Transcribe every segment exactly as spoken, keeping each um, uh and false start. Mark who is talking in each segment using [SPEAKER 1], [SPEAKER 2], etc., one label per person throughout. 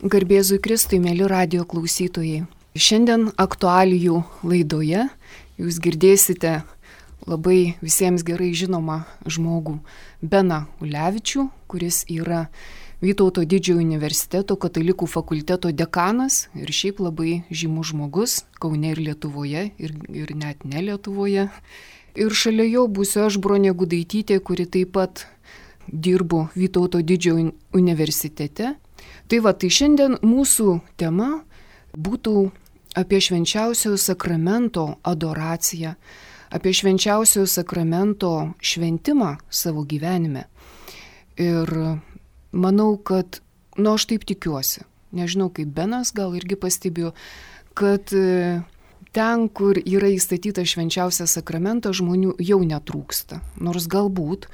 [SPEAKER 1] Garbėzui Kristui, mėly radijo klausytojai. Šiandien aktualijų laidoje jūs girdėsite labai visiems gerai žinomą žmogų Beną Ulevičių, kuris yra Vytauto Didžiojo universiteto katalikų fakulteto dekanas ir šiaip labai žymus žmogus Kaune ir Lietuvoje ir, ir net ne Lietuvoje. Ir šalia jo būsiu aš, Bronė Gudaitytė, kuri taip pat dirbu Vytauto Didžiojo universitete. Tai va, tai šiandien mūsų tema būtų apie švenčiausiojo sakramento adoraciją, apie švenčiausiojo sakramento šventimą savo gyvenime. Ir manau, kad, nu aš taip tikiuosi, nežinau kaip Benas gal irgi pastebėjo, kad ten, kur yra įstatytas švenčiausias sakramentas, žmonių jau netrūksta. Nors galbūt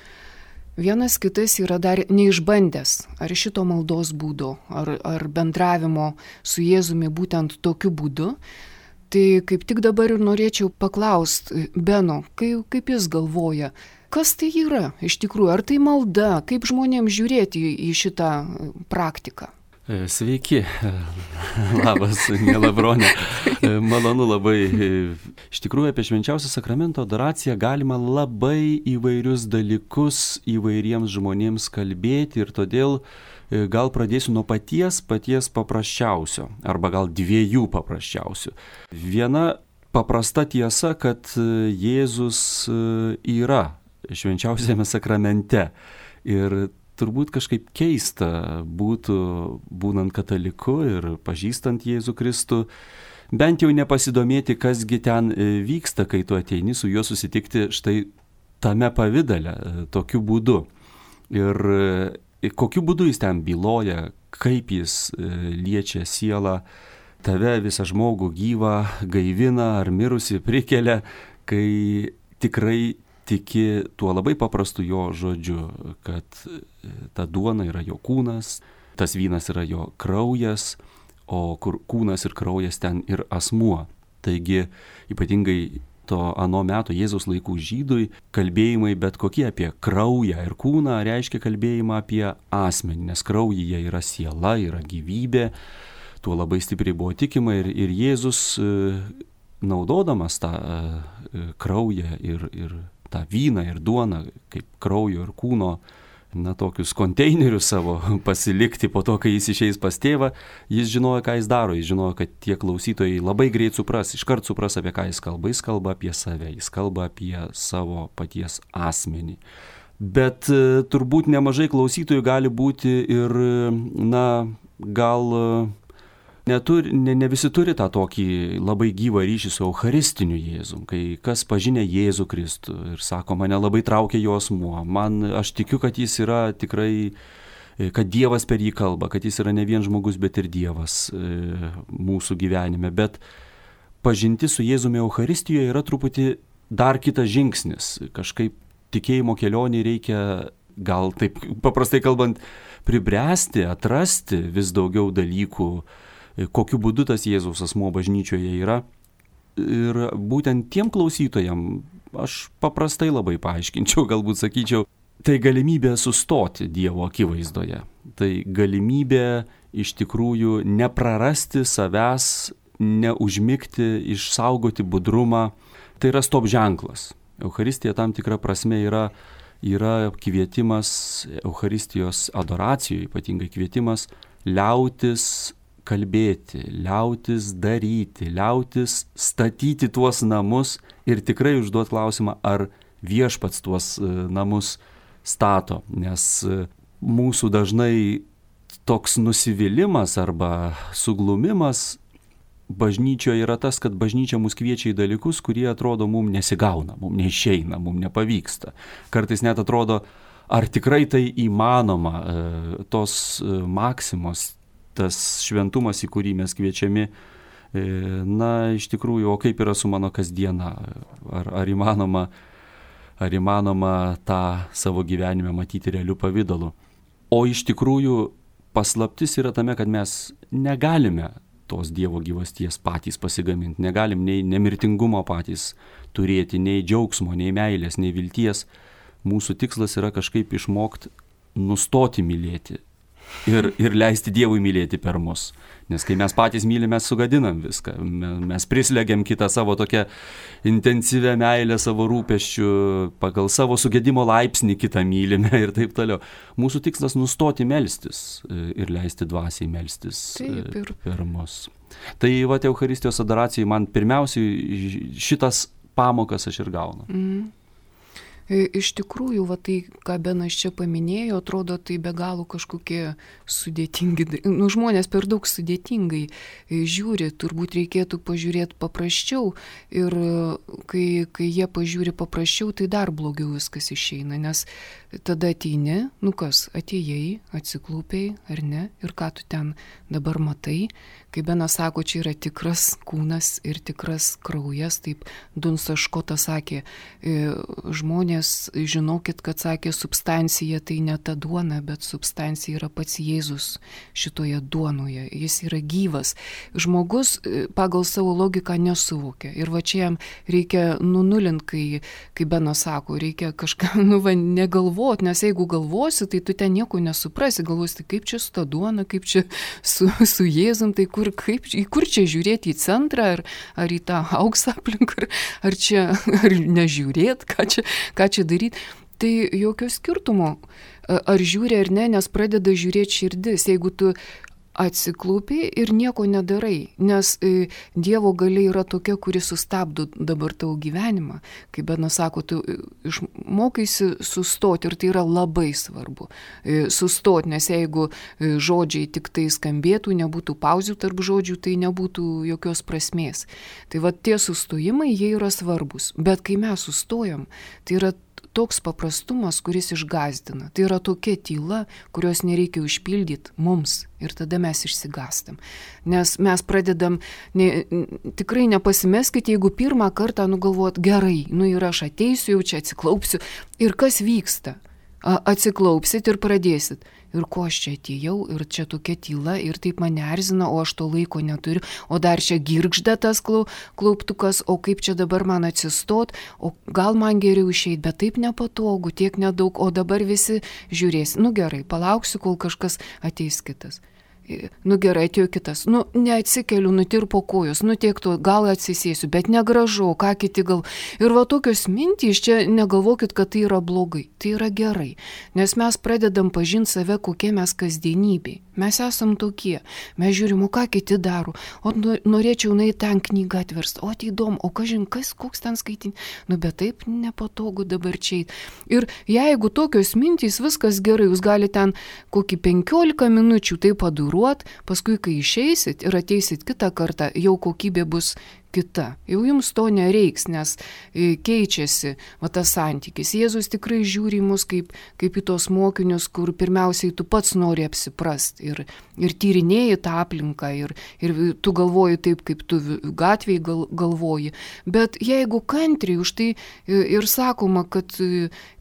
[SPEAKER 1] vienas kitas yra dar neišbandęs ar šito maldos būdo, ar, ar bendravimo su Jėzumi būtent tokiu būdu. Tai kaip tik dabar ir norėčiau paklausti Beno, kaip, kaip jis galvoja, kas tai yra iš tikrųjų, ar tai malda, kaip žmonėms žiūrėti į šitą praktiką?
[SPEAKER 2] Sveiki, labas, miela Bronė, malonu labai. Iš tikrųjų, apie švenčiausią sakramento adoraciją galima labai įvairius dalykus įvairiems žmonėms kalbėti ir todėl gal pradėsiu nuo paties, paties paprasčiausio, arba gal dviejų paprasčiausių. Viena paprasta tiesa, kad Jėzus yra švenčiausiame sakramente ir turbūt kažkaip keista būtų, būnant kataliku ir pažįstant Jėzų Kristų, bent jau nepasidomėti, kasgi ten vyksta, kai tu ateini su juo susitikti štai tame pavidale, tokiu būdu. Ir kokiu būdu jis ten byloja, kaip jis liečia sielą, tave visą žmogų gyvą gaivina ar mirusi prikelia, kai tikrai tiki tuo labai paprastu jo žodžiu, kad ta duona yra jo kūnas, tas vynas yra jo kraujas, o kur kūnas ir kraujas ten ir asmuo. Taigi ypatingai to ano meto Jėzaus laikų žydui kalbėjimai bet kokie apie kraują ir kūną reiškia kalbėjimą apie asmenį, nes kraujyje yra siela, yra gyvybė, tuo labai stipriai buvo tikima ir, ir Jėzus naudodamas tą kraują ir, ir tą vyną ir duoną, kaip kraujo ir kūno, na, tokius konteinerius savo pasilikti po to, kai jis išeis pas tėvą, jis žinojo, ką jis daro, jis žinojo, kad tie klausytojai labai greit supras, iškart supras, apie ką jis kalba, jis kalba apie save, jis kalba apie savo paties asmenį. Bet turbūt nemažai klausytojų gali būti ir, na, gal Neturi, ne, ne visi turi tą tokį labai gyvą ryšį su Eucharistiniu Jėzum, kai kas pažinę Jėzų Kristų ir sako, mane labai traukia jo asmuo, man, aš tikiu, kad jis yra tikrai, kad Dievas per jį kalba, kad jis yra ne vien žmogus, bet ir Dievas e, mūsų gyvenime, bet pažinti su Jėzumi Eucharistijoje yra truputį dar kitas žingsnis, kažkaip tikėjimo kelionį reikia, gal taip paprastai kalbant, pribręsti, atrasti vis daugiau dalykų, kokiu būdu tas Jėzaus asmuo bažnyčioje yra. Ir būtent tiem klausytojam aš paprastai labai paaiškinčiau, galbūt sakyčiau, tai galimybė sustoti Dievo akivaizdoje. Tai galimybė iš tikrųjų neprarasti savęs, neužmigti, išsaugoti budrumą. Tai yra stop ženklas. Eucharistija tam tikra prasme yra, yra kvietimas Eucharistijos adoracijoje, ypatingai kvietimas liautis kalbėti, liautis daryti, liautis statyti tuos namus ir tikrai užduot klausimą, ar viešpats tuos namus stato, nes mūsų dažnai toks nusivylimas arba suglumimas bažnyčioje yra tas, kad bažnyčia mus kviečia į dalykus, kurie atrodo mums nesigauna, mums neišeina, mums nepavyksta. Kartais net atrodo, ar tikrai tai įmanoma, tos maksimos, tas šventumas, į kurį mes kviečiami, na, iš tikrųjų, o kaip yra su mano kasdiena, ar, ar, įmanoma, ar įmanoma tą savo gyvenime matyti realiu pavidalu. O iš tikrųjų paslaptis yra tame, kad mes negalime tos Dievo gyvasties patys pasigaminti, negalim nei nemirtingumo patys turėti, nei džiaugsmo, nei meilės, nei vilties. Mūsų tikslas yra kažkaip išmokti nustoti mylėti ir, ir leisti Dievui mylėti per mus. Nes kai mes patys mylime, mes sugadinam viską. Mes prislegiam kitą savo tokią intensyvę meilę, savo rūpesčių, pagal savo sugedimo laipsnį kitą mylime ir taip toliau. Mūsų tikslas nustoti melstis ir leisti dvasiai melstis taip, ir... per mus. Tai va, Eucharistijos adoracijai man pirmiausiai šitas pamokas aš ir gaunu.
[SPEAKER 1] Mm. Iš tikrųjų, va tai, ką Benas čia paminėjo, atrodo, tai be galo kažkokie sudėtingi, nu, žmonės per daug sudėtingai žiūri, turbūt reikėtų pažiūrėti paprasčiau ir kai, kai jie pažiūri paprasčiau, tai dar blogiau viskas išeina, nes tada ateini, nu kas, atėjai, atsiklūpiai, ar ne, ir ką tu ten dabar matai, kai Benas sako, čia yra tikras kūnas ir tikras kraujas, taip Dunsas Škotas sakė, žmonės, žinokit, kad sakė, substancija tai ne ta duona, bet substancija yra pats Jėzus šitoje duonoje, jis yra gyvas. Žmogus pagal savo logiką nesuvokia ir va čia jam reikia nunulinti, kai, kai Benas sako, reikia kažką, nu va, negalvoti, nes jeigu galvosi, tai tu ten nieko nesuprasi, galvosi, tai kaip čia su ta duona, kaip čia su, su Jėzum, tai kur, kaip, kur čia žiūrėti, į centrą, ar, ar į tą auksą aplink, ar, ar čia, ar nežiūrėti, ką čia, ką čia daryti. Tai jokio skirtumo, ar žiūri ar ne, nes pradeda žiūrėti širdis, jeigu tu atsiklūpi ir nieko nedarai, nes e, Dievo galia yra tokia, kuri sustabdo dabar tavo gyvenimą. Kaip Benas sako, tu išmokaisi sustoti ir tai yra labai svarbu. E, sustoti, nes jeigu e, žodžiai tik tai skambėtų, nebūtų pauzių tarp žodžių, tai nebūtų jokios prasmės. Tai va tie sustojimai, jie yra svarbus, bet kai mes sustojam, tai yra toks paprastumas, kuris išgąsdina. Tai yra tokia tyla, kurios nereikia užpildyti mums ir tada mes išsigastam. Nes mes pradedam, ne, tikrai nepasimeskite, jeigu pirmą kartą nugalvot gerai, nu ir aš ateisiu, jau čia atsiklaupsiu ir kas vyksta? Atsiklaupsit ir pradėsit. Ir ko aš čia atėjau, ir čia tokia tyla, ir taip mane erzina, o aš to laiko neturiu, o dar čia girgžda tas klauptukas, o kaip čia dabar man atsistot, o gal man geriau išeit, bet taip nepatogu, tiek nedaug, o dabar visi žiūrės. Nu gerai, palauksiu, kol kažkas ateis kitas. Nu gerai, atėjo kitas, nu neatsikeliu, nutirpo kojos, nu tiek to, gal atsisėsiu, bet negražu, ką kiti gal. Ir va tokios mintys, čia negalvokit, kad tai yra blogai, tai yra gerai, nes mes pradedam pažinti save, kokie mes kasdienybei. Mes esam tokie, mes žiūrim, o ką kiti daro, o norėčiau nueiti ten knygą atversti, o tai įdomu, o kažin, kas, koks ten skaitinti, nu bet taip nepatogu dabar čia. Ir jeigu tokios mintys, viskas gerai, jūs galite ten kokį penkiolika minučių tai paduruot, paskui kai išeisit ir ateisit kitą kartą, jau kokybė bus kita. Jau jums to nereiks, nes keičiasi va, tas santykis. Jėzus tikrai žiūri mus kaip, kaip į tos mokinius, kur pirmiausiai tu pats nori apsiprast ir, ir tyrinėji tą aplinką ir, ir tu galvoji taip, kaip tu gatvėj gal, galvoji. Bet jeigu kantriai, už tai ir sakoma, kad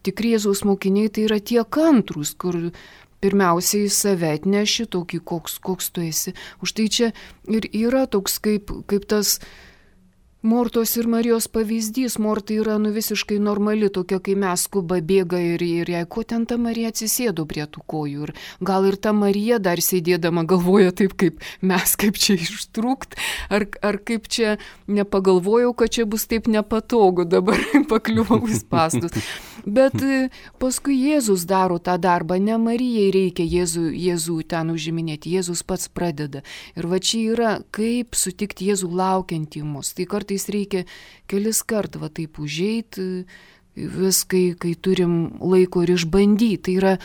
[SPEAKER 1] tikri Jėzaus mokiniai tai yra tie kantrūs, kur pirmiausiai save atneši tokį, koks, koks tu esi. Už tai čia ir yra toks kaip, kaip tas Mortos ir Marijos pavyzdys. Morta yra nu visiškai normali, tokia, kai mes skuba bėga ir, ir jai, ko ten ta Marija atsisėdo prie tų kojų. Ir gal ir ta Marija dar sėdėdama galvoja taip, kaip mes, kaip čia ištrūkt, ar, ar kaip čia nepagalvojau, kad čia bus taip nepatogu dabar pakliuvau į spąstus. Bet paskui Jėzus daro tą darbą, ne Marijai reikia Jėzų, Jėzų ten užiminėti, Jėzus pats pradeda. Ir va čia yra, kaip sutikti Jėzų laukiantį mus. Tai kartais reikia kelis kart va taip užeiti, vis kai, kai turim laiko ir išbandyti. Tai yra,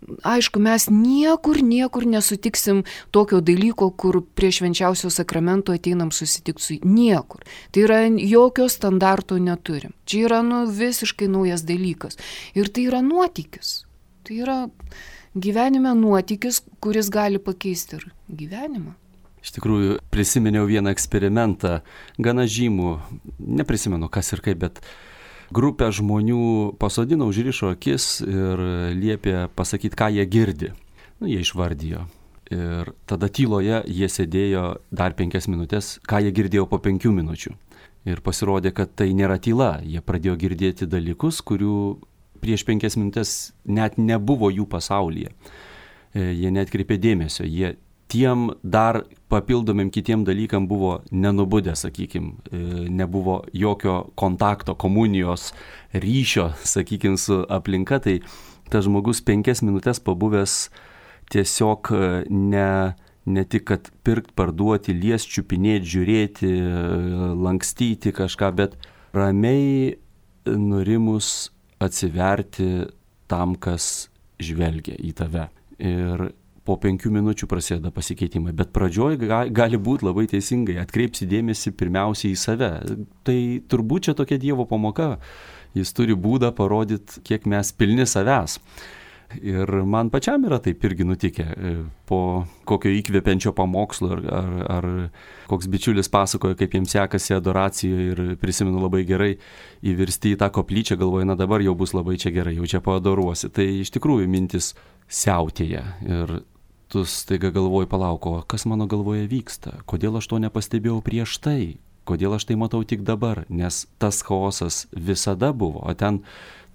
[SPEAKER 1] aišku, mes niekur, niekur nesutiksim tokio dalyko, kur prie švenčiausio sakramento ateinam susitikti su niekur. Tai yra, jokio standarto neturim. Čia yra nu, visiškai naujas dalykas. Ir tai yra nuotykis. Tai yra gyvenime nuotykis, kuris gali pakeisti ir gyvenimą.
[SPEAKER 2] Iš tikrųjų, prisiminiau vieną eksperimentą, gana žymų, neprisimenu kas ir kaip, bet grupę žmonių pasodino, užrišo akis ir liepė pasakyti, ką jie girdi. Nu, jie išvardijo. Ir tada tyloje jie sėdėjo dar penkias minutės, ką jie girdėjo po penkių minučių. Ir pasirodė, kad tai nėra tyla. Jie pradėjo girdėti dalykus, kurių prieš penkias minutės net nebuvo jų pasaulyje. jie neatkreipė dėmesio, jie tiem dar papildomim kitiem dalykam buvo nenubudę, sakykime, nebuvo jokio kontakto, komunijos, ryšio, sakykime, su aplinka, tai tas žmogus penkias minutės pabuvęs tiesiog ne, ne tik, kad pirkt, parduoti, liest, čiupinėti, žiūrėti, lankstyti kažką, bet ramiai nurimus atsiverti tam, kas žvelgia į tave. Ir po penkių minučių prasideda pasikeitimai, bet pradžioj gali būti labai teisingai, atkreipsi dėmesį pirmiausiai į save. Tai turbūt čia tokia Dievo pamoka, jis turi būdą parodyti, kiek mes pilni savęs. Ir man pačiam yra taip irgi nutikę, po kokio įkvepiančio pamokslo, ar, ar, ar koks bičiulis pasakoja, kaip jiems sekasi adoracijoje ir prisimenu labai gerai įvirsti į tą koplyčią, galvoju, na dabar jau bus labai čia gerai, jau čia paadoruosi. Tai iš tikrųjų mintis siautėja ir tu staiga galvoji, palauko, kas mano galvoje vyksta, kodėl aš to nepastebėjau prieš tai, kodėl aš tai matau tik dabar, nes tas chaosas visada buvo, o ten,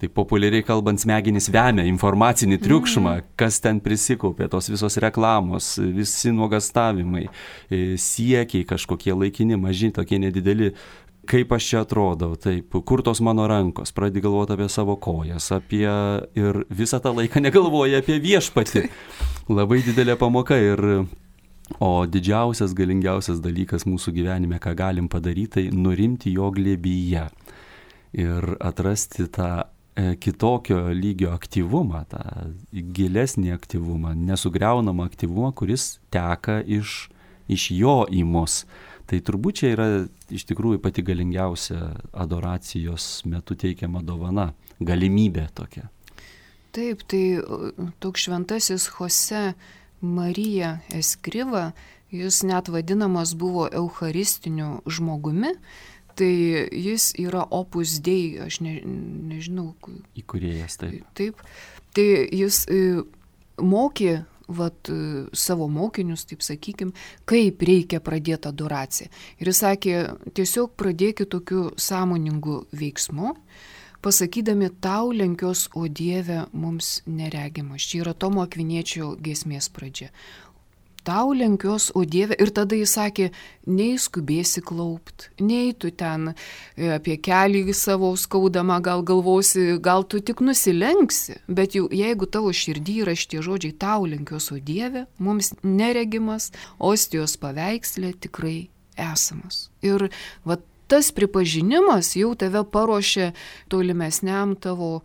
[SPEAKER 2] tai populiariai kalbant, smegenys vemia informacinį triukšmą, kas ten prisikaupė, tos visos reklamos, visi nuogastavimai, siekiai kažkokie laikini, maži, tokie nedideli, kaip aš čia atrodau, taip, kur tos mano rankos, pradedi galvoti apie savo kojas, apie ir visą tą laiką negalvoji apie viešpatį. Labai didelė pamoka ir, o didžiausias, galingiausias dalykas mūsų gyvenime, ką galim padaryti, tai nurimti jo glėbyje ir atrasti tą kitokio lygio aktyvumą, tą gilesnį aktyvumą, nesugriaunamą aktyvumą, kuris teka iš, iš jo į mus. Tai turbūt čia yra iš tikrųjų pati galingiausia adoracijos metu teikiama dovana, galimybė tokia.
[SPEAKER 1] Taip, tai toks šventasis Jose Marija Eskriva, jis net vadinamas buvo eucharistiniu žmogumi, tai jis yra Opus Dei, aš ne, nežinau.
[SPEAKER 2] Įkūrėjas, taip.
[SPEAKER 1] Taip, tai jis mokė vat, savo mokinius, taip sakykim, kaip reikia pradėti adoraciją. Ir jis sakė, tiesiog pradėkit tokiu sąmoningu veiksmu, pasakydami tau lenkios, o Dieve mums neregimas. Čia yra Tomo Akviniečio giesmės pradžia. Tau lenkios, o Dieve, ir tada jis sakė, nei skubėsi klaupt, nei tu ten apie kelį savo skaudamą gal galvosi, gal tu tik nusilenksi, bet jau jeigu tavo širdį yra šitie žodžiai, tau lenkios, o Dieve, mums neregimas, ostijos paveikslė tikrai esamas. Ir vat tas pripažinimas jau tave paruošia tolimesniam tavo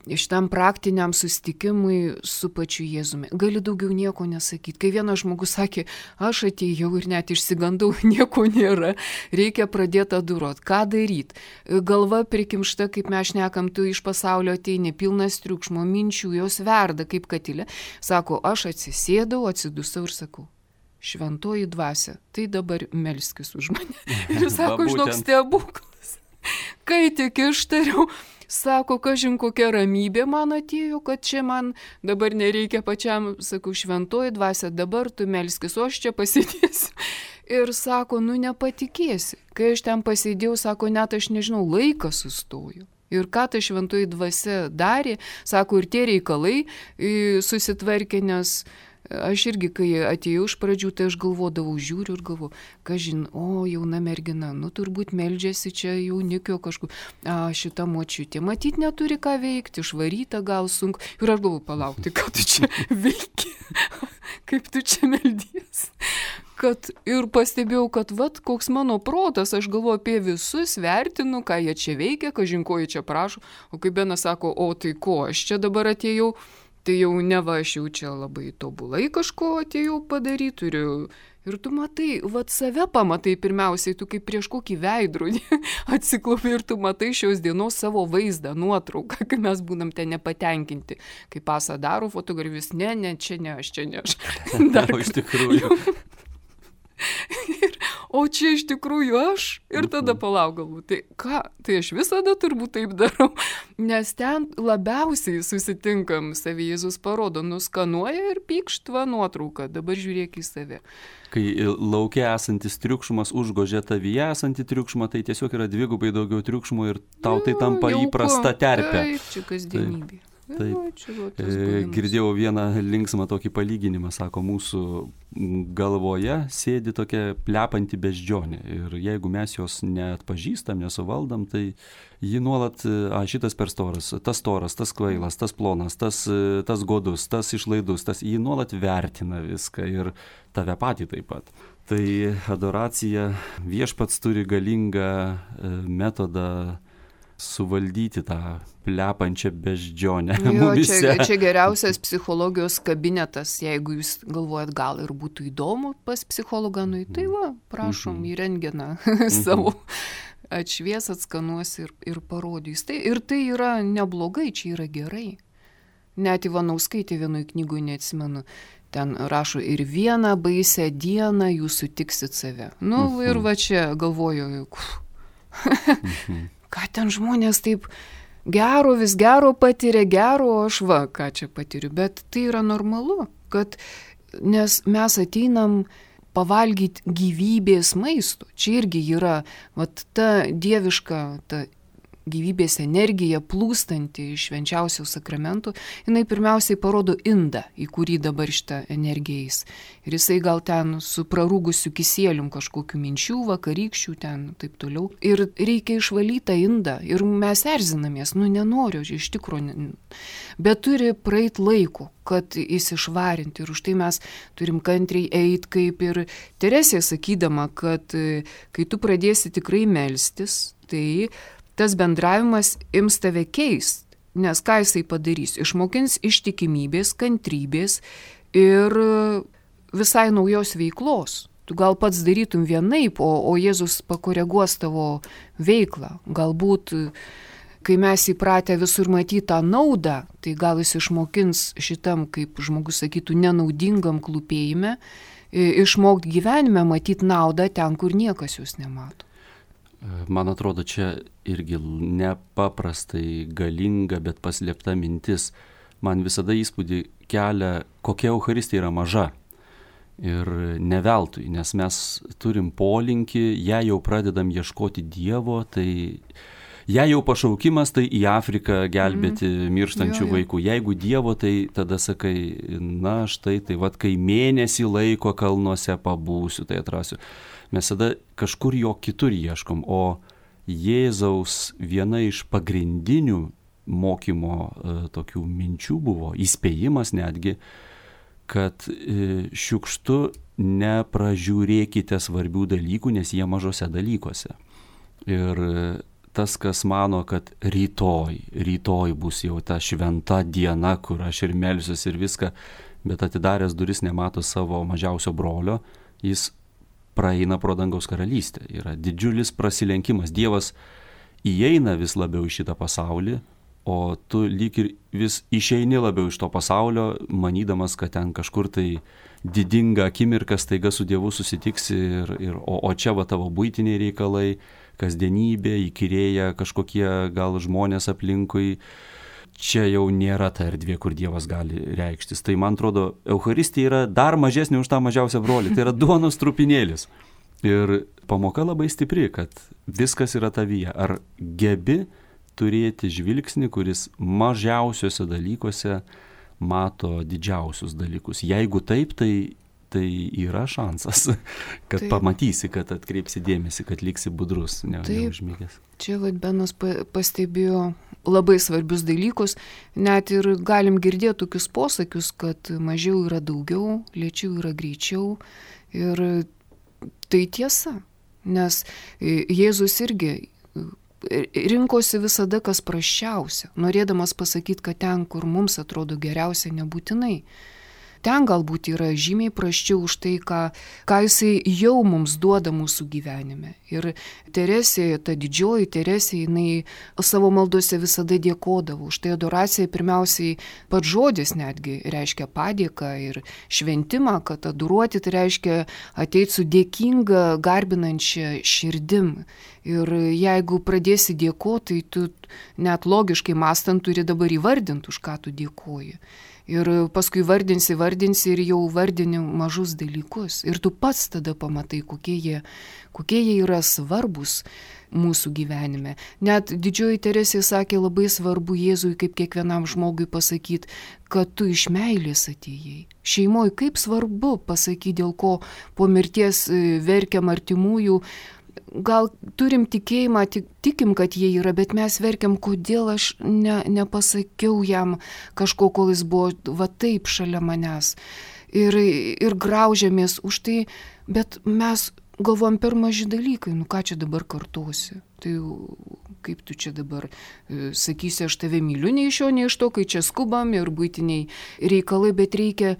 [SPEAKER 1] šitam praktiniam susitikimui su pačiu Jėzumi. Gali daugiau nieko nesakyti. Kai vienas žmogus sakė, aš atėjau ir net išsigandau, nieko nėra, reikia pradėti adoruoti. Ką daryti? Galva prikimšta, kaip mes šnekam, tu iš pasaulio ateini, pilnas triukšmo, minčių, jos verda kaip katilė. Sako, aš atsisėdau, atsidusau ir sakau, šventoji dvasia, tai dabar melskis už mane. Ir sako, žinok, stebuklas. Kai tik ištariau, sako, kažin kokia ramybė man atėjo, kad čia man dabar nereikia pačiam, sakau, šventoji dvasia, dabar tu melskis, o aš čia pasėdėsiu. Ir sako, nu nepatikėsi. Kai aš ten pasėdėjau, sako, net aš nežinau, laikas sustoju. Ir ką ta šventoji dvasia darė, sako, ir tie reikalai susitvarkė, nes aš irgi, kai atėjau iš pradžių, tai aš galvodavau, žiūriu ir galvoju, kažin, o jauna mergina, nu turbūt meldžiasi čia jaunikio kažkur, a šita močiutė, matyt neturi ką veikti, išvaryta gal sunku. Ir aš galvoju, palaukti, ką tu čia veiki, kaip tu čia meldies. Kad ir pastebėjau, kad vat, koks mano protas, aš galvoju apie visus, vertinu, ką jie čia veikia, kažin ko jie čia prašo, o kaip Benas sako, o tai ko, aš čia dabar atėjau, tai jau neva aš jau čia labai tobulai kažko atėjau padaryti, turiu. Ir tu matai, vat save pamatai pirmiausiai, tu kaip prieš kokį veidrodį atsiklaupi ir tu matai šios dienos savo vaizdą, nuotrauką, kai mes būnam ten nepatenkinti. Kai pasą daro fotografijus, ne, ne, čia ne, aš čia ne, aš.
[SPEAKER 2] Dar iš tikrųjų.
[SPEAKER 1] Ir, o čia iš tikrųjų aš ir tada palauk galbūt, tai ką, tai aš visada turbūt taip darau, nes ten labiausiai susitinkam savį, Jėzus parodo, nuskanuoja ir pykštva nuotrauką, dabar žiūrėk į save.
[SPEAKER 2] Kai laukia esantis triukšmas užgožia tavyje esantį triukšmą, tai tiesiog yra dvigubai daugiau triukšmo ir tau tai tampa
[SPEAKER 1] jauku,
[SPEAKER 2] įprasta terpė.
[SPEAKER 1] Taip, čia kasdienybė.
[SPEAKER 2] Taip.
[SPEAKER 1] Jo, čia va tas
[SPEAKER 2] E,
[SPEAKER 1] buvimas.
[SPEAKER 2] girdėjau vieną linksmą tokį palyginimą, sako, mūsų galvoje sėdi tokia plepanti beždžionė ir jeigu mes jos neatpažįstam, nesuvaldam, tai ji nuolat, a, šitas per storas, tas storas, tas kvailas, tas plonas, tas, tas godus, tas išlaidus, tas ji nuolat vertina viską ir tave patį taip pat. Tai adoracija, viešpats turi galingą e, metodą suvaldyti tą plepančią beždžionę.
[SPEAKER 1] Jo, čia, čia geriausias psichologijos kabinetas, jeigu jūs galvojat, gal ir būtų įdomu pas psichologą, nu, tai va, prašom, į rentgeną savo atšvies, atskanuos ir, ir parodys. Tai, ir tai yra neblogai, čia yra gerai. Net Ivanauskaitė vienoj knygoj, neatsimenu, ten rašo, ir vieną baisę dieną jūs sutiksit save. Nu, ir va čia galvoju, ką ten žmonės taip gero, vis gero patiria, gero, o aš va, ką čia patiriu. Bet tai yra normalu, kad, nes mes ateinam pavalgyti gyvybės maisto. Čia irgi yra vat, ta dieviška, ta gyvybės energija plūstanti iš švenčiausių sakramentų, jinai pirmiausiai parodo indą, į kurį dabar šitą energiją eis. Ir jisai gal ten su prarūgusiu kisėlium kažkokiu minčių, vakarykščių ten, taip toliau. Ir reikia išvalyti tą indą. Ir mes erzinamės, nu nenoriu, iš tikrųjų. Bet turi praeit laiko, kad jis išvarinti. Ir už tai mes turim kantriai eiti, kaip ir Teresė sakydama, kad kai tu pradėsi tikrai melstis, tai tas bendravimas ims tave keist, nes ką jisai padarys? Išmokins ištikimybės, kantrybės ir visai naujos veiklos. Tu gal pats darytum vienaip, o, o Jėzus pakoreguos tavo veiklą. Galbūt, kai mes įpratę visur matyti tą naudą, tai gal jis išmokins šitam, kaip žmogus sakytų, nenaudingam klūpėjime, išmokti gyvenime matyti naudą ten, kur niekas jūs nemato.
[SPEAKER 2] Man atrodo, čia irgi nepaprastai galinga, bet paslėpta mintis. Man visada įspūdį kelia, kokia Eucharistija yra maža. Ir ne veltui, nes mes turim polinkį, jei jau pradedam ieškoti Dievo, tai jei jau pašaukimas, tai į Afriką gelbėti mm. mirštančių jo, jo. vaikų. Jeigu Dievo, tai tada sakai, na štai, tai vad, kai mėnesį laiko kalnuose pabūsiu, tai atrasiu. Mes tada kažkur jo kitur ieškom, o Jėzaus viena iš pagrindinių mokymo e, tokių minčių buvo, įspėjimas netgi, kad e, šiukštu nepražiūrėkite svarbių dalykų, nes jie mažose dalykuose. Ir e, tas, kas mano, kad rytoj, rytoj bus jau ta šventa diena, kur aš ir melsiuos ir viską, bet atidaręs duris nemato savo mažiausio brolio, jis praeina pro dangaus karalystę. Yra didžiulis prasilenkimas. Dievas įeina vis labiau į šitą pasaulį, o tu lyg ir vis išeini labiau iš to pasaulio, manydamas, kad ten kažkur tai didinga akimirka staiga su Dievu susitiksi, ir, ir, o, o čia va tavo buitiniai reikalai, kasdienybė, įkyrėja kažkokie gal žmonės aplinkui. Čia jau nėra ta erdvė, kur Dievas gali reikštis. Tai man atrodo, Eucharistija yra dar mažesnė už tą mažiausią brolį. Tai yra duonos trupinėlis. Ir pamoka labai stipri, kad viskas yra tavyje. Ar gebi turėti žvilgsnį, kuris mažiausiuose dalykuose mato didžiausius dalykus? Jeigu taip, tai, tai yra šansas, kad taip. Pamatysi, kad atkreipsi dėmesį, kad liksi budrus, ne, neužmygęs.
[SPEAKER 1] Čia vad Benas pastebėjo labai svarbius dalykus, net ir galim girdėti tokius posakius, kad mažiau yra daugiau, lėčiau yra greičiau. Ir tai tiesa, nes Jėzus irgi rinkosi visada kas prasčiausia, norėdamas pasakyti, kad ten, kur mums atrodo geriausia, nebūtinai. Ten galbūt yra žymiai prasčiau už tai, ką, ką jisai jau mums duoda mūsų gyvenime. Ir Teresė, ta didžioji Teresė, jinai savo maldose visada dėkodavo. Už tai adoracija pirmiausiai pats žodis netgi reiškia padėką ir šventimą, kad adoruoti tai reiškia ateiti su dėkinga, garbinančia širdim. Ir jeigu pradėsi dėkoti, tai tu net logiškai mąstant turi dabar įvardinti, už ką tu dėkoji. Ir paskui vardinsi, vardinsi ir jau vardini mažus dalykus. Ir tu pats tada pamatai, kokie jie, kokie jie yra svarbus mūsų gyvenime. Net didžioji Teresė sakė, labai svarbu Jėzui kaip kiekvienam žmogui pasakyti, kad tu iš meilės atėjai. Šeimoje kaip svarbu pasakyti, dėl ko po mirties verkiam artimųjų. Gal turim tikėjimą, tik, tikim, kad jie yra, bet mes verkiam, kodėl aš ne, nepasakiau jam kažko, kol jis buvo va taip šalia manęs. Ir, ir graužiamės už tai, bet mes galvojam per maži dalykai, nu ką čia dabar kartuosi. Tai kaip tu čia dabar e, sakysi, aš tave myliu, nei iš jo, nei iš to, kai čia skubam ir buitiniai reikalai, bet reikia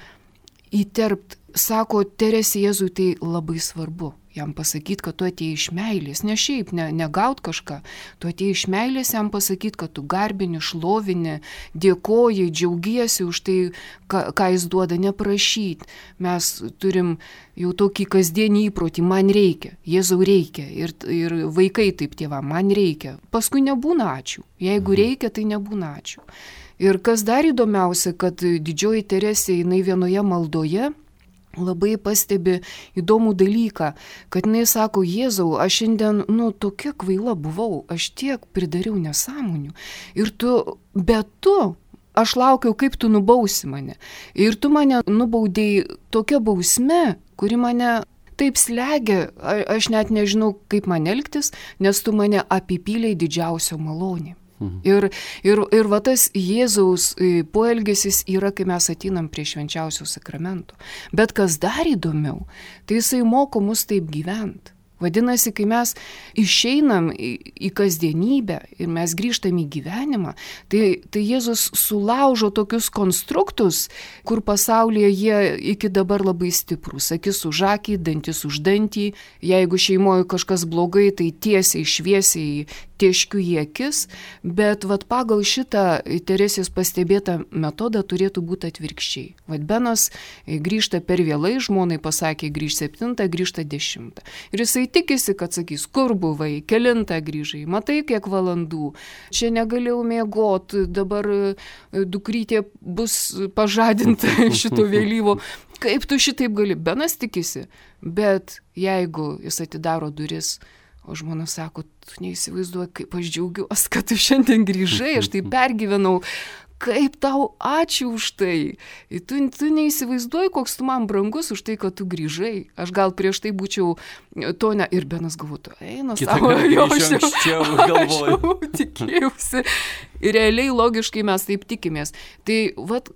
[SPEAKER 1] įterpti. Sako Teresė, Jėzui tai labai svarbu. Jam pasakyti, kad tu atėjai iš meilės, ne šiaip, ne, negaut kažką. Tu atėjai iš meilės, jam pasakyti, kad tu garbini, šlovini, dėkoji, džiaugiesi už tai, ką, ką jis duoda, neprašyti. Mes turim jau tokį kasdienį įprotį, man reikia, Jėzau reikia. Ir, ir vaikai taip tėvam, man reikia. Paskui nebūna ačiū. Jeigu reikia, tai nebūna ačiū. Ir kas dar įdomiausia, kad didžioji Teresė, jinai vienoje maldoje labai pastebi įdomų dalyką, kad jinai sako, Jėzau, aš šiandien, nu, tokia kvaila buvau, aš tiek pridariau nesąmonių. Ir tu, bet tu, aš laukiau, kaip tu nubausi mane. Ir tu mane nubaudėjai tokia bausme, kuri mane taip slegia, aš net nežinau, kaip man elgtis, nes tu mane apipylei didžiausio malonė. Ir, ir, ir va tas Jėzaus poelgesis yra, kai mes ateinam prie švenčiausio sakramento. Bet kas dar įdomiau, tai jisai moko mus taip gyventi. Vadinasi, kai mes išeinam į, į kasdienybę ir mes grįžtam į gyvenimą, tai, tai Jėzus sulaužo tokius konstruktus, kur pasaulyje jie iki dabar labai stiprus. Akis už akį, dantis už dantį. Jeigu šeimoje kažkas blogai, tai tiesiai, šviesiai tieškiu į akis. Bet vat, pagal šitą Teresės pastebėtą metodą turėtų būti atvirkščiai. Vat Benas grįžta per vėlai, žmonai pasakė grįžt septintą, grįžta dešimtą. Ir jisai tikisi, kad sakys, kur buvai, kelintą grįžai, matai kiek valandų, čia negalėjau miegoti, dabar dukrytė bus pažadinta šito vėlyvo. Kaip tu šitaip gali? Benas tikisi, bet jeigu jis atidaro duris, o žmona sako, tu neįsivaizduoji, kaip aš džiaugiuosi, kad tu šiandien grįžai, aš tai pergyvenau. Kaip tau ačiū už tai. Tu, tu neįsivaizduoji, koks tu man brangus už tai, kad tu grįžai. Aš gal prieš tai būčiau to ne... Ir Benas galvotų, eina savo, jo, aš jau galvoju. Tikėjausi. Ir realiai logiškai mes taip tikimės. Tai vat,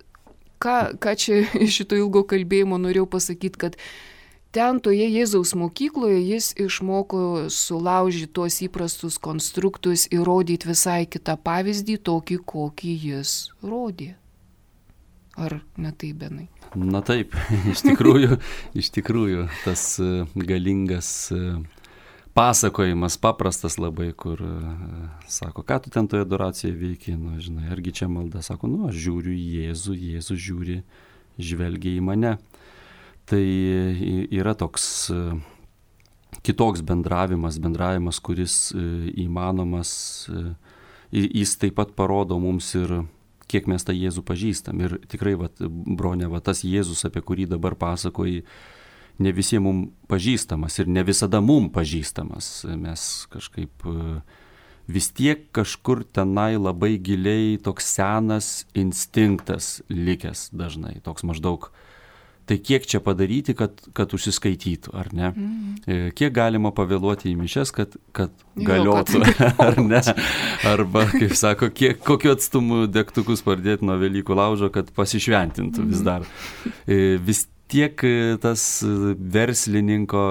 [SPEAKER 1] ką, ką čia iš šito ilgo kalbėjimo norėjau pasakyti, kad ten toje Jėzaus mokykloje jis išmoko sulaužyti tuos įprastus konstruktus ir rodyti visai kitą pavyzdį, tokį, kokį jis rodė. Ar ne taip, Benai?
[SPEAKER 2] Na taip, iš tikrųjų, iš tikrųjų tas galingas pasakojimas, paprastas labai, kur sako, ką tu ten toje adoracijoje veiki, nu, žinai, argi čia malda, sako, nu, aš žiūriu į Jėzų, Jėzus žiūri, žvelgia į mane. Tai yra toks kitoks bendravimas, bendravimas, kuris įmanomas, jis taip pat parodo mums ir kiek mes tą Jėzų pažįstam. Ir tikrai, vat, bronė, vat, tas Jėzus, apie kurį dabar pasakoji, ne visiems mums pažįstamas ir ne visada mums pažįstamas. Mes kažkaip vis tiek kažkur tenai labai giliai toks senas instinktas likęs dažnai, toks maždaug. Tai kiek čia padaryti, kad, kad užsiskaitytų, ar ne? Mm. Kiek galima pavėluoti į mišias, kad, kad galiotų, jo, kad ar ne? Arba, kaip sako, kiek, kokiu atstumu degtukus pardėti nuo Velykų laužo, kad pasišventintų mm. vis dar. Vis tiek tas verslininko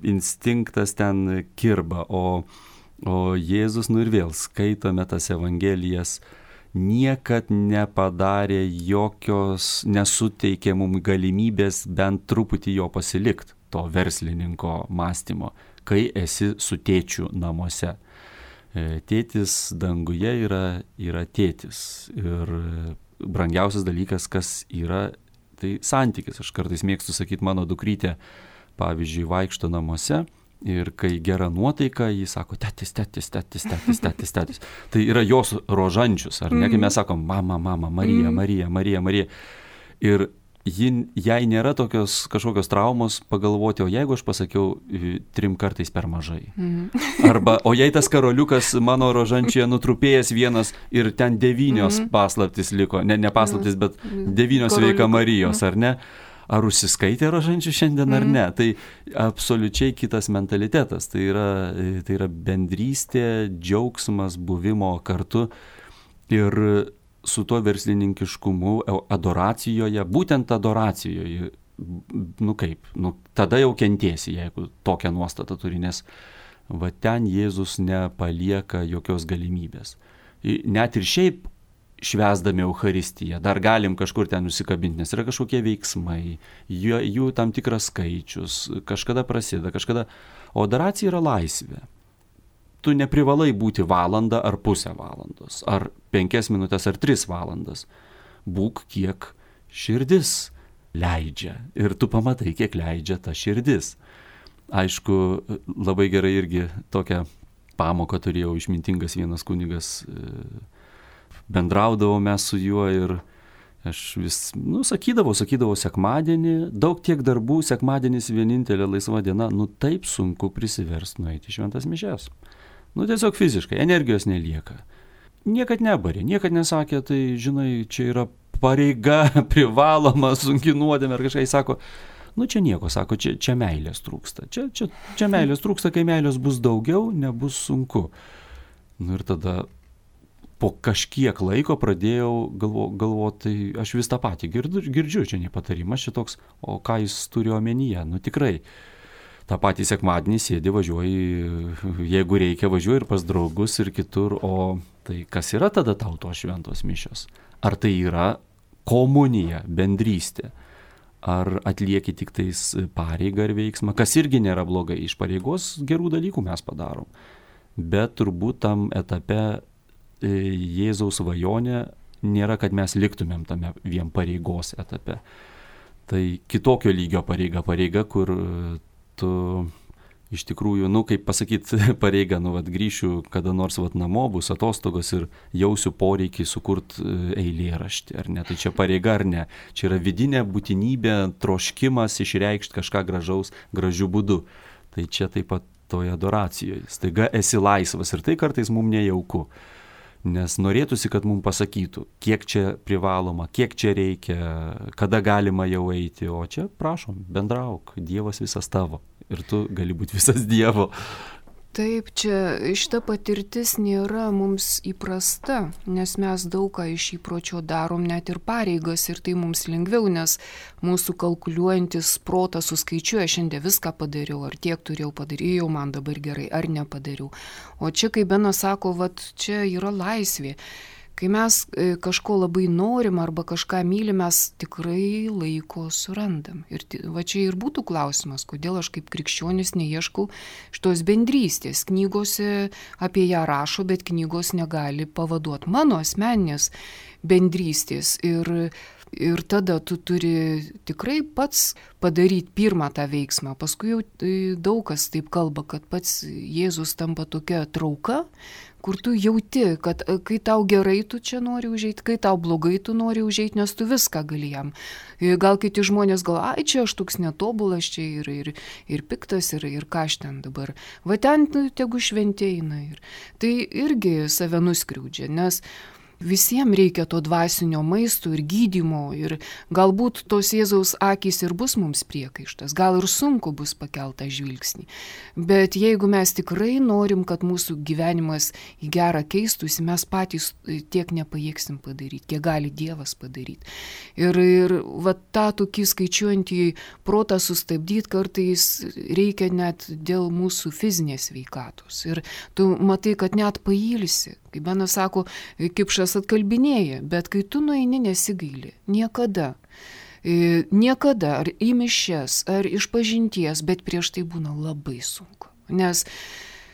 [SPEAKER 2] instinktas ten kirba, o, o Jėzus, nu ir vėl skaitome tas evangelijas, niekad nepadarė jokios, nesuteikė mums galimybės bent truputį jo pasilikti, to verslininko mąstymo, kai esi su tėčiu namuose. Tėtis danguje yra, yra tėtis ir brangiausias dalykas, kas yra, tai santykis. Aš kartais mėgstu sakyti, mano dukrytė, pavyzdžiui, vaikšto namuose Ir kai gera nuotaika, jis sako, tetis, tetis, tetis, tetis, tetis, tetis. Tai yra jos rožančius, ar ne? Kai mes sakom, mama, mama, Marija, Marija, Marija, Marija. Ir ji, jai nėra tokios kažkokios traumos pagalvoti, o jeigu aš pasakiau trim kartais per mažai. Arba, o jei tas karoliukas mano rožančioje nutrupėjęs vienas ir ten devynios paslaptis liko, ne, ne paslaptis, bet devynios veika Marijos, ar ne? Ar užsiskaitė rožančių šiandien ar ne? Tai absoliučiai kitas mentalitetas. Tai yra, tai yra bendrystė, džiaugsmas, buvimo kartu ir su tuo verslininkiškumu adoracijoje, būtent adoracijoje, nu kaip, nu, tada jau kentėsi, jeigu tokią nuostatą turi, nes va ten Jėzus nepalieka jokios galimybės. Net ir šiaip švęsdami Eucharistiją, dar galim kažkur ten nusikabinti, nes yra kažkokie veiksmai, jų, jų tam tikras skaičius, kažkada prasideda, kažkada... O adoracija yra laisvė. Tu neprivalai būti valandą ar pusę valandos, ar penkias minutės, ar tris valandas. Būk, kiek širdis leidžia. Ir tu pamatai, kiek leidžia ta širdis. Aišku, labai gerai irgi tokią pamoką turėjau išmintingas vienas kunigas, bendraudavau mes su juo ir aš vis, nu, sakydavau, sakydavau sekmadienį, daug tiek darbų, sekmadienis vienintelė laisva diena, nu taip sunku prisiverst nueiti šventas mišias. Nu tiesiog fiziškai, energijos nelieka. Niekad nebarė, niekad nesakė, tai žinai, čia yra pareiga, privaloma, sunki nuodėmė ar kažkai sako, nu čia nieko, sako, čia, čia meilės trūksta. Čia, čia, čia meilės trūksta, kai meilės bus daugiau, nebus sunku. Nu ir tada po kažkiek laiko pradėjau galvo, galvoti, tai aš vis tą patį girdžiu, girdžiu čia ne patarimas šitoks, o ką jis turi omenyje, nu tikrai. tą patį sekmadienį sėdi, važiuoji, jeigu reikia, važiuoji ir pas draugus ir kitur, o tai kas yra tada tau tos šventos mišios? Ar tai yra komunija, bendrystė? Ar atlieki tik tais pareigą ar veiksmą, kas irgi nėra blogai, iš pareigos gerų dalykų mes padarom. Bet turbūt tam etape Jėzaus svajonė nėra, kad mes liktumėm tame vien pareigos etape. Tai kitokio lygio pareiga, pareiga, kur tu iš tikrųjų, nu kaip pasakyti, pareiga, nu vat grįšiu kada nors vat namo, bus atostogos ir jausiu poreikį sukurti eilėraštį, ar ne, tai čia pareiga ar ne, čia yra vidinė būtinybė, troškimas išreikšti kažką gražaus, gražiu būdu. Tai čia taip pat toje adoracijoje, staiga esi laisvas ir tai kartais mums nejauku, nes norėtųsi, kad mums pasakytų, kiek čia privaloma, kiek čia reikia, kada galima jau eiti, o čia prašom, bendrauk, Dievas visas tavo. Ir tu gali būti visas Dievo.
[SPEAKER 1] Taip, čia šita patirtis nėra mums įprasta, nes mes daug ką iš įpročio darom net ir pareigas ir tai mums lengviau, nes mūsų kalkuliuojantis protas suskaičiuoja, šiandien viską padariau, ar tiek turėjau padarėjau, man dabar gerai, ar nepadariau. O čia, kai Benas sako, vat čia yra laisvė. Kai mes kažko labai norim arba kažką mylim, mes tikrai laiko surandam. Ir va čia ir būtų klausimas, kodėl aš kaip krikščionis neieškau šitos bendrystės. Knygose apie ją rašo, bet knygos negali pavaduoti mano asmeninės bendrystės. Ir, ir tada tu turi tikrai pats padaryti pirmą tą veiksmą. Paskui jau daug kas taip kalba, kad pats Jėzus tampa tokia trauka, kur tu jauti, kad kai tau gerai tu čia nori užeiti, kai tau blogai tu nori užeiti, nes tu viską gali jam. Gal kiti žmonės gal, ai čia aš toks netobulas, čia ir, ir, ir piktas, ir, ir ką aš ten dabar. Va ten tegu šventė eina. Ir tai irgi save nuskriaudžia, nes visiems reikia to dvasinio maisto ir gydymo ir galbūt tos Jėzaus akys ir bus mums priekaištas, gal ir sunku bus pakeltą žvilgsnį. Bet jeigu mes tikrai norim, kad mūsų gyvenimas į gerą keistųsi, mes patys tiek nepajėgsim padaryti, kiek gali Dievas padaryti. Ir, ir va tą tokį skaičiuojantį protą sustabdyti kartais reikia net dėl mūsų fizinės sveikatos. Ir tu matai, kad net pailsi. Kaip Benas sako, kipšas atkalbinėja, bet kai tu nueini nesigaili, niekada, e, niekada, ar į mišias, ar iš pažinties, bet prieš tai būna labai sunku. Nes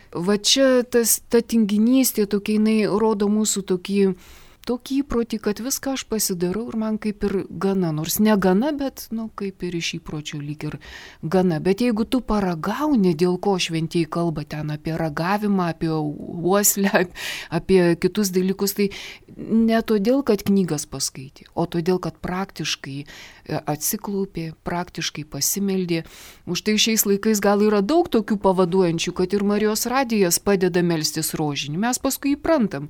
[SPEAKER 1] va čia tas, ta tinginystė, tokia jinai rodo mūsų tokį tokį įprotį, kad viską aš pasidarau ir man kaip ir gana, nors ne gana, bet, nu, kaip ir iš įpročio lyg ir gana. Bet jeigu tu paragauni, dėl ko šventieji kalba ten apie ragavimą, apie uoslę, apie kitus dalykus, tai ne todėl, kad knygas paskaitė, o todėl, kad praktiškai atsiklaupė, praktiškai pasimeldė. Už tai šiais laikais gal yra daug tokių pavaduojančių, kad ir Marijos radijas padeda melstis rožinį. Mes paskui įprantam,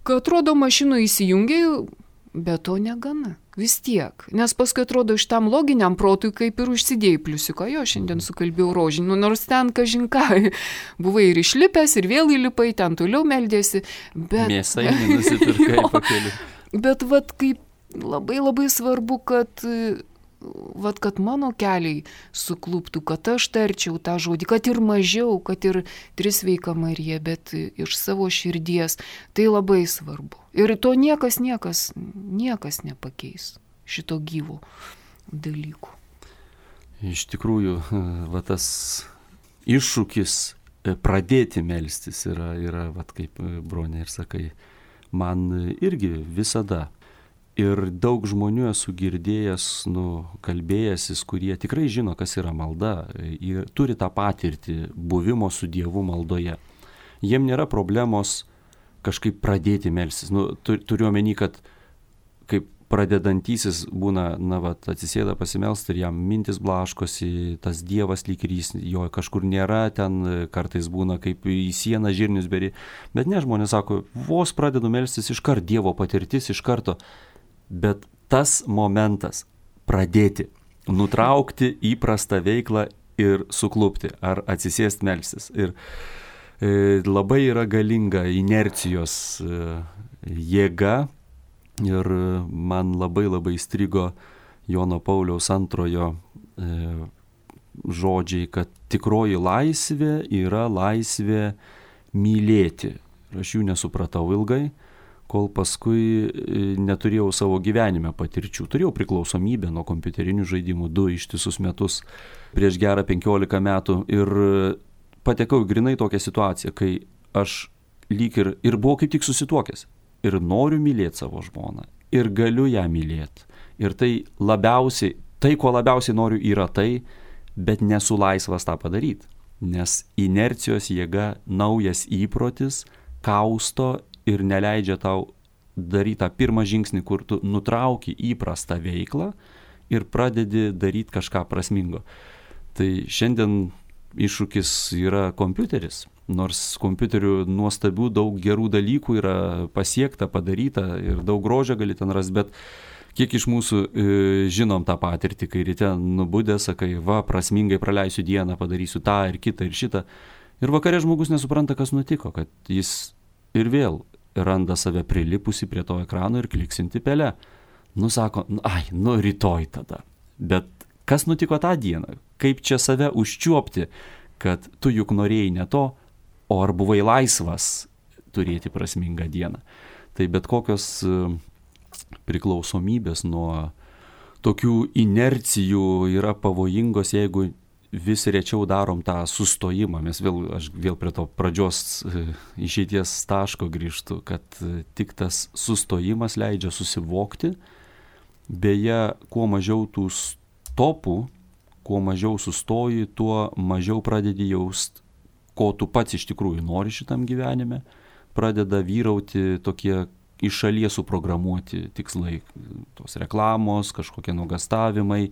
[SPEAKER 1] kad atrodo mašino įsijungiai, bet to negana. Vis tiek. Nes paskui atrodo šitam loginiam protui kaip ir užsidėjai pliusiuką. Jo, šiandien sukalbėjau rožinį, nu, nors ten kažinką. Buvai ir išlipęs, ir vėl įlipai, ten toliau meldėsi. Bet...
[SPEAKER 2] Mėsai nenusipirkai pakeliu.
[SPEAKER 1] Bet vat kaip labai labai svarbu, kad... Vat, kad mano keliai sukluptų, kad aš tarčiau tą žodį, kad ir mažiau, kad ir Trisveika Marija, bet iš savo širdies. Tai labai svarbu. Ir to niekas, niekas, niekas nepakeis šito gyvo dalykų.
[SPEAKER 2] Iš tikrųjų, va tas iššūkis pradėti melstis yra, yra va kaip Bronė ir sakai, man irgi visada. Ir daug žmonių esu girdėjęs, nu, kalbėjęsis, kurie tikrai žino, kas yra malda, ir turi tą patirtį buvimo su Dievu maldoje. Jiem nėra problemos kažkaip pradėti melstis. Nu, turiu omeny, kad kaip pradedantysis būna, na, va, atsisėda pasimelsti ir jam mintis blaškosi, tas Dievas lyg ir jis jo kažkur nėra, ten kartais būna kaip į sieną žirnius beri. Bet ne, žmonės sako, vos pradedu melstis, iškart Dievo patirtis, iš karto. Bet tas momentas pradėti, nutraukti įprastą veiklą ir suklupti ar atsisėsti melstis. Ir e, labai yra galinga inercijos e, jėga ir man labai labai strigo Jono Pauliaus antrojo e, žodžiai, kad tikroji laisvė yra laisvė mylėti. Aš jų nesupratau ilgai, kol paskui neturėjau savo gyvenime patirčių. Turėjau priklausomybę nuo kompiuterinių žaidimų du ištisus metus prieš gerą penkiolika metų ir patekau į grinai tokią situaciją, kai aš lyg ir, ir buvau kaip tik susituokęs ir noriu mylėti savo žmoną ir galiu ją mylėti. Ir tai labiausiai, tai ko labiausiai noriu yra tai, bet nesu laisvas tą padaryti, nes inercijos jėga, naujas įprotis kausto ir neleidžia tau daryti tą pirmą žingsnį, kur tu nutrauki įprastą veiklą ir pradedi daryti kažką prasmingo. Tai šiandien iššūkis yra kompiuteris, nors kompiuteriu nuostabių daug gerų dalykų yra pasiekta, padaryta ir daug grožio gali ten rasti, bet kiek iš mūsų e, žinom tą patirtį, kai ryte nubudė, sakai, va, prasmingai praleisiu dieną, padarysiu tą ir kitą ir šitą. Ir vakare žmogus nesupranta, kas nutiko, kad jis ir vėl randa save prilipusi prie to ekrano ir kliksinti pelę. Nu, sako, ai, nu, rytoj tada. Bet kas nutiko tą dieną? Kaip čia save užčiuopti, kad tu juk norėjai ne to, o ar buvai laisvas turėti prasmingą dieną? Tai bet kokios priklausomybės nuo tokių inercijų yra pavojingos, jeigu vis rečiau darom tą sustojimą. Mes vėl, aš vėl prie to pradžios išeities taško grįžtu, kad tik tas sustojimas leidžia susivokti. Beje, kuo mažiau tų stopų, kuo mažiau sustoji, tuo mažiau pradedi jaust, ko tu pats iš tikrųjų nori šitam gyvenime. Pradeda vyrauti tokie iš šalies suprogramuoti tikslai, tos reklamos, kažkokie nuogąstavimai.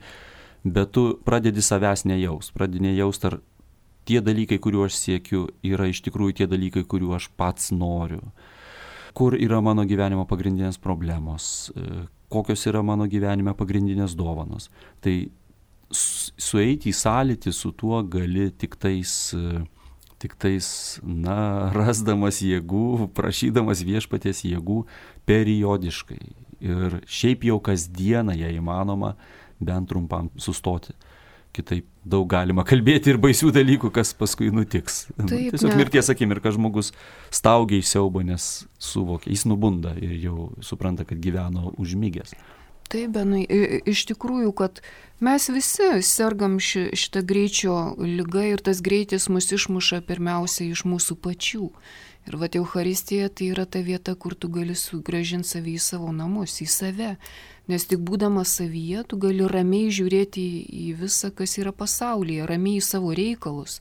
[SPEAKER 2] Bet tu pradedi savęs nejaust, pradedi nejaust, ar tie dalykai, kuriuo aš siekiu, yra iš tikrųjų tie dalykai, kuriuo aš pats noriu. Kur yra mano gyvenimo pagrindinės problemos, kokios yra mano gyvenime pagrindinės dovanos. Tai sueiti į sąlytį su tuo gali tik tais, tik tais, na, rasdamas jėgų, prašydamas viešpaties jėgų periodiškai. Ir šiaip jau kasdieną, jei įmanoma, bent trumpam sustoti. Kitaip daug galima kalbėti ir baisių dalykų, kas paskui nutiks. Taip, tiesiog ne. Mirties akimirka žmogus staugia iš siaubo, nes suvokia, jis nubunda ir jau supranta, kad gyveno užmigęs.
[SPEAKER 1] Taip, Benai, iš tikrųjų, kad mes visi sergam ši, šitą greičio ligą ir tas greitis mus išmuša pirmiausia iš mūsų pačių. Ir va, Eucharistija tai yra ta vieta, kur tu gali sugrąžinti savį į savo namus, į save. Nes tik būdamas savyje, tu gali ramiai žiūrėti į, į visą, kas yra pasaulyje, ramiai į savo reikalus.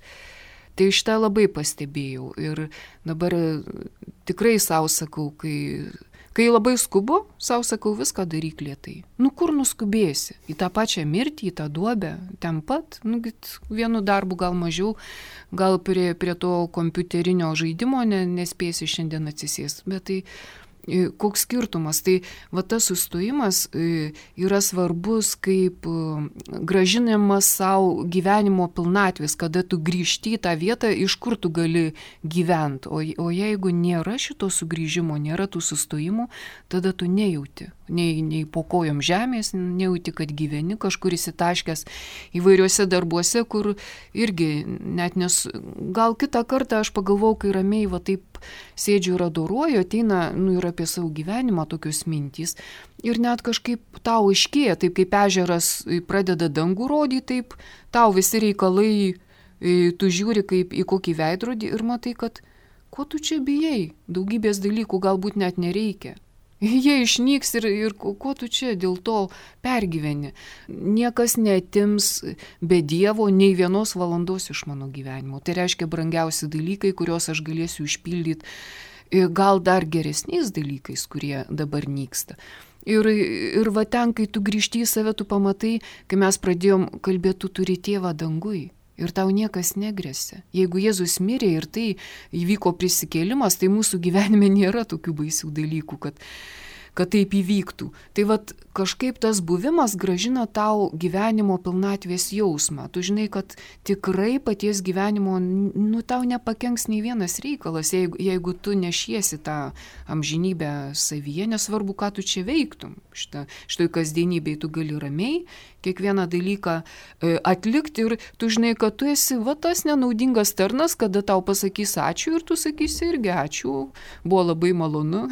[SPEAKER 1] Tai šitą labai pastebėjau ir dabar tikrai savo sakau, kai, kai labai skubu, savo sakau, viską daryk lėtai. Nu kur nuskubėsi? Į tą pačią mirtį, į tą duobę, ten pat, nu vienu darbu gal mažiau, gal prie, prie to kompiuterinio žaidimo ne, nespėsi šiandien atsisės, bet tai koks skirtumas? Tai va tas sustojimas yra svarbus kaip grąžinimas savo gyvenimo pilnatvės, kada tu grįžti į tą vietą, iš kur tu gali gyventi. O, o jeigu nėra šito sugrįžimo, nėra tų sustojimų, tada tu nejauti. Nei, nei po kojom žemės, nejauti, kad gyveni kažkur įsitaškęs įvairiuose darbuose, kur irgi net nes... Gal kitą kartą aš pagalvojau, kai ramiai va taip sėdžiu ir adoruoju, ateina nu, ir apie savo gyvenimą tokios mintys. Ir net kažkaip tau aiškėja, taip kaip ežeras pradeda dangų rodyti, taip tau visi reikalai, tu žiūri kaip į kokį veidrodį ir matai, kad ko tu čia bijai, daugybės dalykų galbūt net nereikia. Jie išnyks ir, ir ko tu čia dėl to pergyveni. Niekas neatims be Dievo nei vienos valandos iš mano gyvenimo. Tai reiškia brangiausi dalykai, kuriuos aš galėsiu išpildyti, gal dar geresniais dalykais, kurie dabar nyksta. Ir, ir va ten, kai tu grįžti į save, tu pamatai, kai mes pradėjom kalbėti, tu turi tėvą dangui. Ir tau niekas negresia. Jeigu Jėzus mirė ir tai įvyko prisikėlimas, tai mūsų gyvenime nėra tokių baisių dalykų, kad, kad taip įvyktų. Tai vat kažkaip tas buvimas grąžina tau gyvenimo pilnatvės jausmą. Tu žinai, kad tikrai paties gyvenimo, nu, tau nepakenks nei vienas reikalas, jeigu, jeigu tu nešiesi tą amžinybę savyje, nesvarbu, ką tu čia veiktum. Šitą, šitoj kasdienybėj tu gali ramiai kiekvieną dalyką e, atlikti ir tu žinai, kad tu esi va tas nenaudingas tarnas, kada tau pasakys ačiū ir tu sakysi irgi ačiū, buvo labai malonu,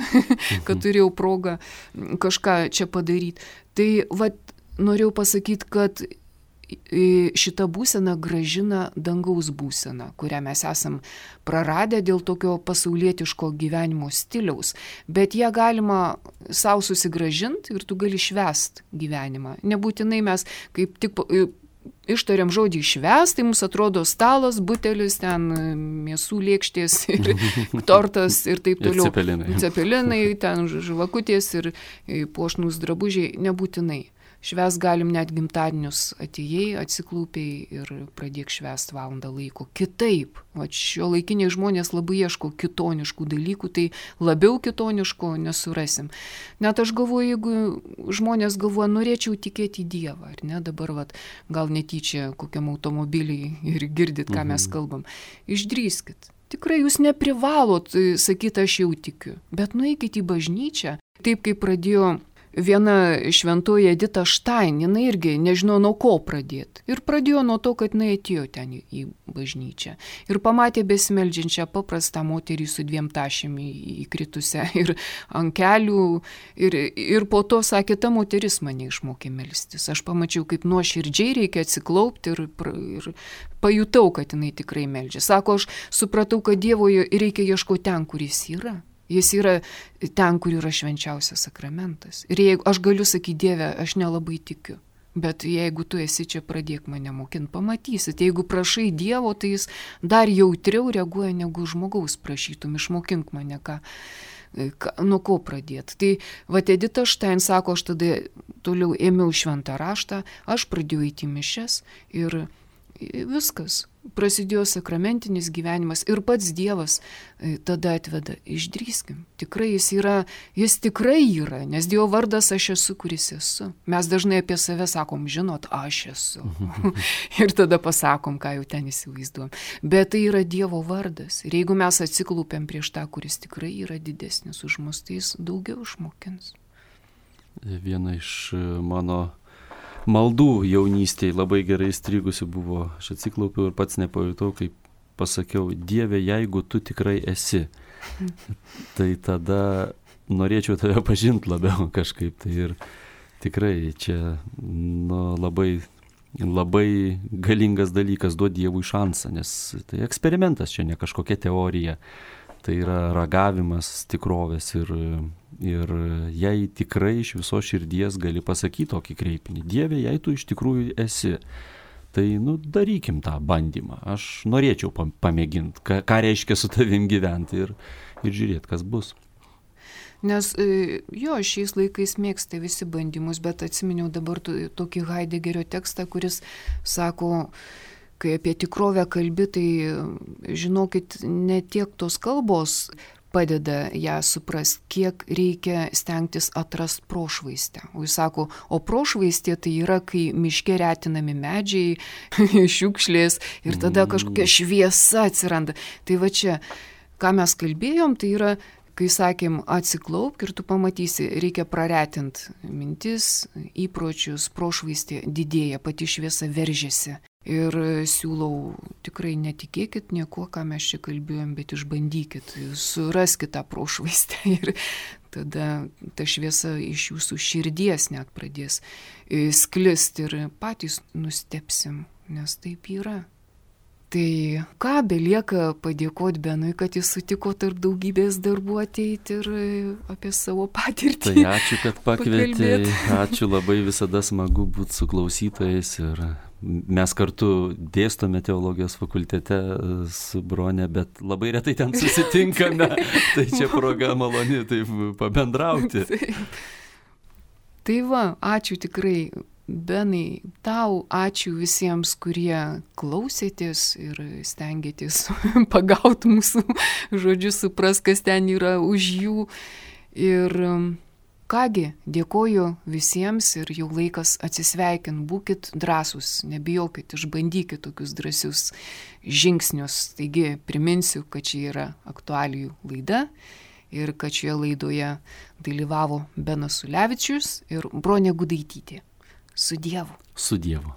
[SPEAKER 1] kad turėjau progą kažką čia padaryti. Tai va, norėjau pasakyti, kad šita būsena grąžina dangaus būseną, kurią mes esam praradę dėl tokio pasaulietiško gyvenimo stiliaus, bet ją galima savo susigrąžinti ir tu gali švęst gyvenimą. Nebūtinai mes kaip tik ištariam žodį švęst, tai mums atrodo stalas, butelis, ten mėsų lėkštės ir tortas ir taip toliau.
[SPEAKER 2] Ir cepelinai.
[SPEAKER 1] Cepelinai, ten žvakutės ir puošnūs drabužiai, nebūtinai. Švęs galim net gimtadienius atėjai, atsiklūpiai ir pradėk švęst valandą laiko. Kitaip, o šio laikiniai žmonės labai ieško kitoniškų dalykų, tai labiau kitoniško nesurasim. Net aš galvoju, jeigu žmonės galvoja, norėčiau tikėti į Dievą, ar ne, dabar vat, gal netyčia kokiam automobiliai ir girdit, ką mes kalbam, išdrįskit. Tikrai jūs neprivalot sakyti, aš jau tikiu, bet nueikit į bažnyčią, taip kaip pradėjo viena šventoji Edita Štain, jinai irgi nežino nuo ko pradėti. Ir pradėjo nuo to, kad jinai atėjo ten į, į bažnyčią. Ir pamatė besimeldžiančią paprastą moterį su dviem tašėm įkritusią ir ant kelių. Ir, ir po to sakė, ta moteris mane išmokė melstis. Aš pamačiau, kaip nuoširdžiai reikia atsiklaupti ir, ir pajutau, kad jinai tikrai meldžia. Sako, aš supratau, kad Dievo reikia ieškoti ten, kur jis yra. Jis yra ten, kur yra švenčiausias sakramentas. Ir jeigu aš galiu sakyti, Dieve, aš nelabai tikiu, bet jeigu tu esi čia, pradėk mane mokinti, pamatysit. Jeigu prašai Dievo, tai jis dar jautriau reaguoja, negu žmogaus prašytum, išmokink mane, ką, ką, nuo ko pradėti. Tai va, Edita Štain sako, aš tada toliau ėmiau šventą raštą, aš pradėjau eiti į mišias ir viskas. Prasidėjo sakramentinis gyvenimas ir pats Dievas tada atveda, išdrįskim. Tikrai jis yra, jis tikrai yra, nes Dievo vardas aš esu, kuris esu. Mes dažnai apie save sakom, žinot, aš esu. Ir tada pasakom, ką jau ten įsivaizduom. Bet tai yra Dievo vardas. Ir jeigu mes atsiklūpėm prieš tą, kuris tikrai yra didesnis už mus, tai jis daugiau išmokins.
[SPEAKER 2] Viena iš mano maldų jaunystėje labai gerai įstrigusi buvo, aš atsiklaupiau ir pats nepajutau, kaip pasakiau, Dieve, jeigu tu tikrai esi, tai tada norėčiau tave pažinti labiau kažkaip. Tai ir Tikrai čia nu, labai, labai galingas dalykas duoti Dievui šansą, nes tai eksperimentas, čia ne kažkokia teorija, tai yra ragavimas tikrovės ir, ir jei tikrai iš viso širdies gali pasakyti tokį kreipinį, Dieve, jei tu iš tikrųjų esi, tai nu, darykim tą bandymą, aš norėčiau pamėginti, ką, ką reiškia su tavim gyventi ir, ir žiūrėti, kas bus.
[SPEAKER 1] Nes jo, šiais laikais mėgsta visi bandymus, bet atsiminiau dabar tokį Heideggerio tekstą, kuris sako, kai apie tikrovę kalbi, tai žinokit, ne tiek tos kalbos padeda ją suprasti, kiek reikia stengtis atrast prošvaistę. O jis sako, o prošvaistė tai yra, kai miške retinami medžiai, šiukšlės ir tada kažkokia šviesa atsiranda. Tai va čia, ką mes kalbėjom, tai yra, kai sakėm, atsiklaupk ir tu pamatysi, reikia praretinti mintis, įpročius, prošvaistė didėja, pati šviesa veržiasi. Ir siūlau, tikrai netikėkit nieko, ką mes čia kalbėjom, bet išbandykit, suraskit tą prošvaistę ir tada ta šviesa iš jūsų širdies net pradės sklisti ir patys nustebsim, nes taip yra. Tai ką, belieka padėkoti Benui, kad jis sutiko tarp daugybės darbų ateiti ir apie savo patirtį.
[SPEAKER 2] Tai ačiū, kad pakvietei, ačiū, labai visada smagu būti su klausytojais ir mes kartu dėstome teologijos fakultete su Brone, bet labai retai ten susitinkame, tai čia proga maloni taip pabendrauti.
[SPEAKER 1] Taip. Tai va, ačiū tikrai. Benai, tau ačiū visiems, kurie klausėtės ir stengiatės pagauti mūsų žodžius, supras, kas ten yra už jų. Ir kągi, dėkoju visiems ir jau laikas atsisveikin, būkit drąsūs, nebijokit, išbandykit tokius drąsius žingsnius. Taigi priminsiu, kad čia yra aktualijų laida ir kad šioje laidoje dalyvavo Benas Ulevičius ir Bronė Gudaitytė. Su Dievu.
[SPEAKER 2] Su Dievu.